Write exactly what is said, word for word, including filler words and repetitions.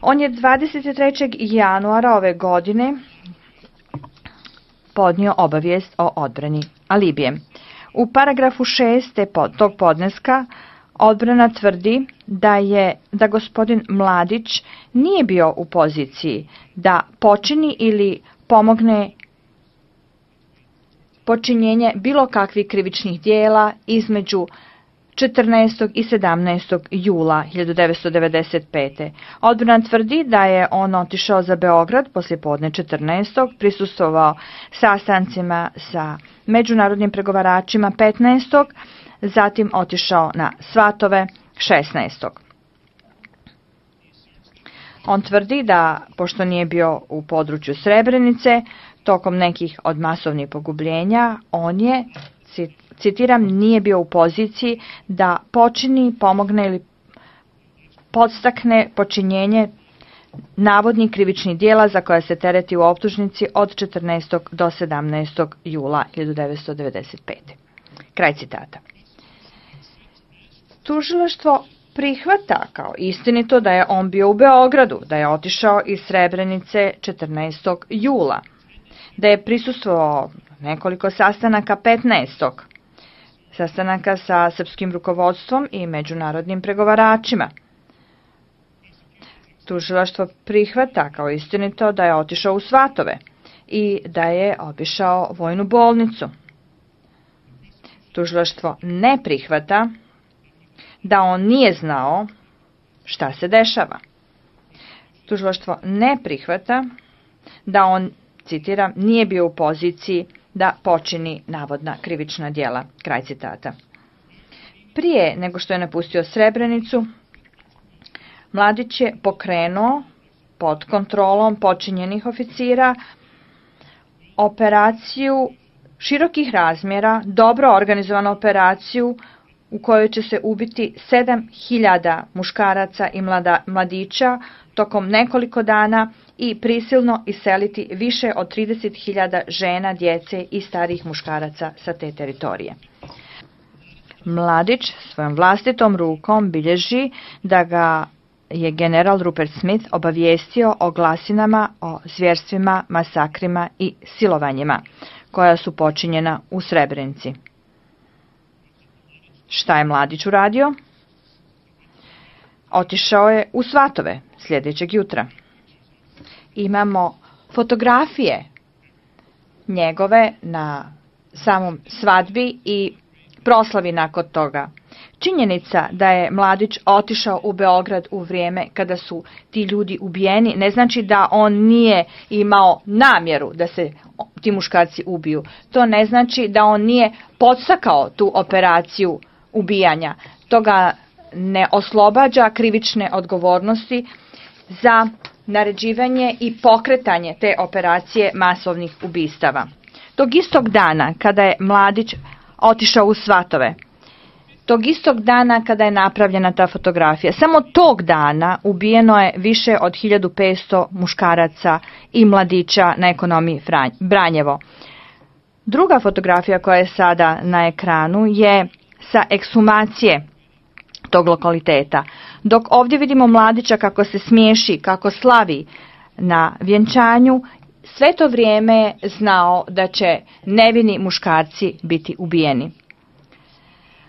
On je dvadeset trećeg januara ove godine podnio obavijest o odbrani alibije. U paragrafu šest tog podneska odbrana tvrdi da je da gospodin Mladić nije bio u poziciji da počini ili pomogne počinjenje bilo kakvih krivičnih dijela između četrnaestog i sedamnaestog jula hiljadu devetsto devedeset pete. Odbrana tvrdi da je on otišao za Beograd poslijepodne četrnaestog prisustvovao sastancima sa međunarodnim pregovaračima petnaestog zatim otišao na svatove šesnaestog On tvrdi da, pošto nije bio u području Srebrenice, tokom nekih od masovnih pogubljenja, on je, citiram, nije bio u poziciji da počini, pomogne ili podstakne počinjenje navodnih krivičnih dijela za koja se tereti u optužnici od četrnaestog do sedamnaestog jula hiljadu devetsto devedeset pete. Kraj citata. Tužilaštvo prihvata kao istinito da je on bio u Beogradu, da je otišao iz Srebrenice četrnaestog jula, da je prisustvovao nekoliko sastanaka petnaestog sastanaka sa srpskim rukovodstvom i međunarodnim pregovaračima. Tužilaštvo prihvata kao istinito da je otišao u Svatove i da je obišao vojnu bolnicu. Tužilaštvo ne prihvata da on nije znao šta se dešava. Tužilaštvo ne prihvata da on, citiram, nije bio u poziciji da počini navodna krivična djela. Kraj citata. Prije nego što je napustio Srebrenicu, Mladić je pokrenuo pod kontrolom počinjenih oficira operaciju širokih razmjera, dobro organizovanu operaciju u kojoj će se ubiti sedam hiljada muškaraca i mlada, mladića tokom nekoliko dana i prisilno iseliti više od trideset hiljada žena, djece i starih muškaraca sa te teritorije. Mladić svojom vlastitom rukom bilježi da ga je general Rupert Smith obavijestio o glasinama, o zvjerstvima, masakrima i silovanjima koja su počinjena u Srebrenici. Šta je Mladić uradio? Otišao je u Svatove sljedećeg jutra. Imamo fotografije njegove na samom svadbi i proslavi nakon toga. Činjenica da je Mladić otišao u Beograd u vrijeme kada su ti ljudi ubijeni ne znači da on nije imao namjeru da se ti muškarci ubiju. To ne znači da on nije podstakao tu operaciju ubijanja. To ga ne oslobađa krivične odgovornosti za naređivanje i pokretanje te operacije masovnih ubistava. Tog istog dana kada je Mladić otišao u Svatove, tog istog dana kada je napravljena ta fotografija, samo tog dana ubijeno je više od hiljadu petsto muškaraca i mladića na ekonomiji Branjevo. Druga fotografija koja je sada na ekranu je sa ekshumacije tog lokaliteta. Dok ovdje vidimo Mladića kako se smiješi, kako slavi na vjenčanju, sve to vrijeme je znao da će nevini muškarci biti ubijeni.